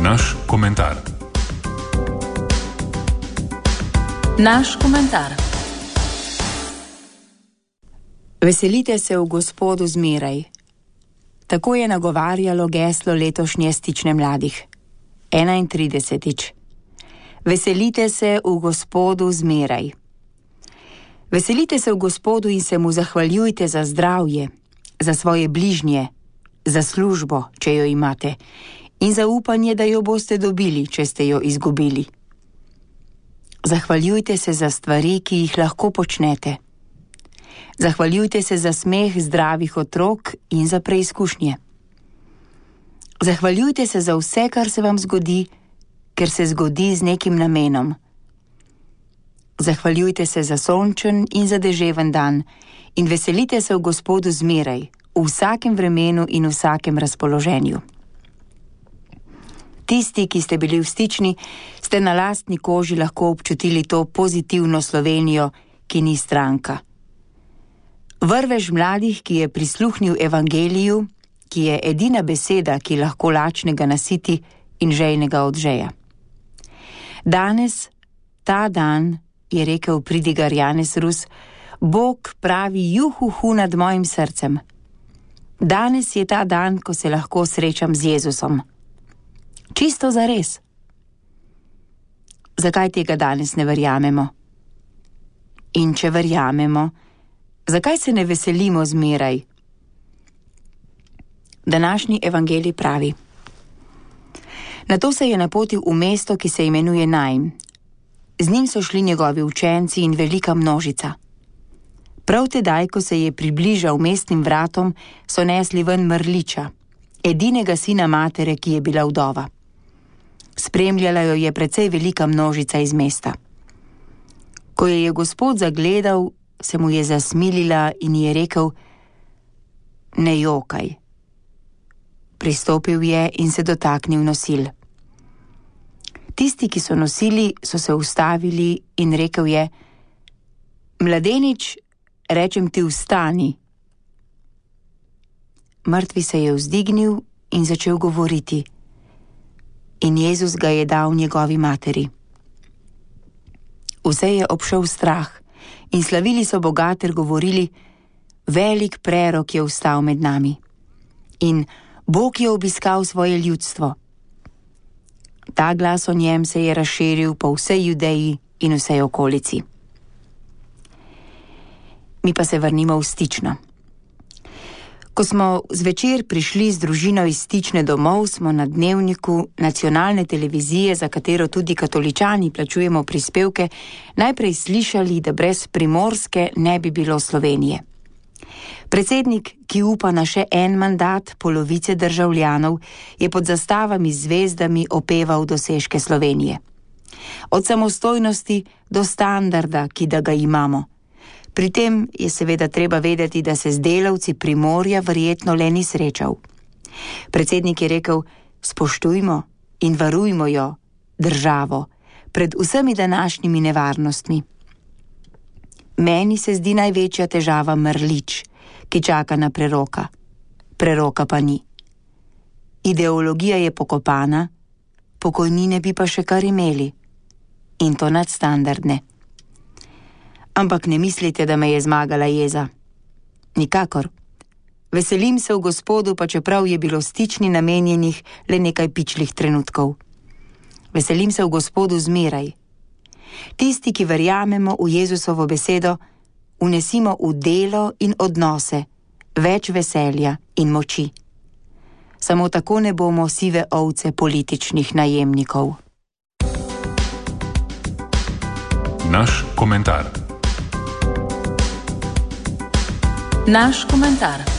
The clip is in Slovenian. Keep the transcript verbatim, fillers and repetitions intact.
Naš komentar. Naš komentar. Veselite se v Gospodu zmeraj. Tako je nagovarjalo geslo letošnje Stične mladih. enaintridesetič. Veselite se v Gospodu zmeraj. Veselite se v Gospodu in se mu zahvaljujte za zdravje, za svoje bližnje, za službo, če jo imate, in za upanje, da jo boste dobili, če ste jo izgubili. Zahvaljujte se za stvari, ki jih lahko počnete. Zahvaljujte se za smeh zdravih otrok in za preizkušnje. Zahvaljujte se za vse, kar se vam zgodi, ker se zgodi z nekim namenom. Zahvaljujte se za sončen in za deževen dan in veselite se v Gospodu zmeraj, v vsakem vremenu in v vsakem razpoloženju. Tisti, ki ste bili v Stični, ste na lastni koži lahko občutili to pozitivno Slovenijo, ki ni stranka. Vrvež mladih, ki je prisluhnil evangeliju, ki je edina beseda, ki lahko lačnega nasiti in žejnega odžeja. Danes, ta dan, je rekel pridigar Janez Rus, Bog pravi juhuhu nad mojim srcem. Danes je ta dan, ko se lahko srečam z Jezusom. Čisto zares. Zakaj tega danes ne verjamemo? In če verjamemo, zakaj se ne veselimo zmeraj? Današnji evangelij pravi: Nato se je napotil v mesto, ki se imenuje Najm. Z njim so šli njegovi učenci in velika množica. Prav tedaj, ko se je približal mestnim vratom, so nesli ven mrliča, edinega sina matere, ki je bila vdova. Spremljala jo je precej velika množica iz mesta. Ko je je Gospod zagledal, se mu je zasmilila in je rekel: Ne jokaj. Pristopil je in se dotaknil nosil. Tisti, ki so nosili, so se ustavili in rekel je: Mladenič, rečem ti, vstani. Mrtvi se je vzdignil in začel govoriti. In Jezus ga je dal njegovi materi. Vse je obšel strah in slavili so Boga ter govorili: Velik prerok je vstal med nami. In Bog je obiskal svoje ljudstvo. Ta glas o njem se je razširil po vsej Judeji in vsej okolici. Mi pa se vrnimo v Stično. Ko smo zvečer prišli z družino iz Stične domov, smo na dnevniku nacionalne televizije, za katero tudi katoličani plačujemo prispevke, najprej slišali, da brez Primorske ne bi bilo Slovenije. Predsednik, ki upa na še en mandat polovice državljanov, je pod zastavami z zvezdami opeval dosežke Slovenije. Od samostojnosti do standarda, ki da ga imamo. Pri tem je seveda treba vedeti, da se z delavci Primorja verjetno le ni srečal. Predsednik je rekel: spoštujmo in varujmo jo, državo, pred vsemi današnjimi nevarnostmi. Meni se zdi največja težava mrlič, ki čaka na preroka. Preroka pa ni. Ideologija je pokopana, pokojnine bi pa še kar imeli. In to nadstandardne. Ampak ne mislite, da me je zmagala jeza. Nikakor. Veselim se v Gospodu, pa čeprav je bilo Stični namenjenih le nekaj pičlih trenutkov. Veselim se v Gospodu zmeraj. Tisti, ki verjamemo v Jezusovo besedo, vnesimo v delo in odnose več veselja in moči. Samo tako ne bomo sive ovce političnih najemnikov. Naš komentar. Naš komentar.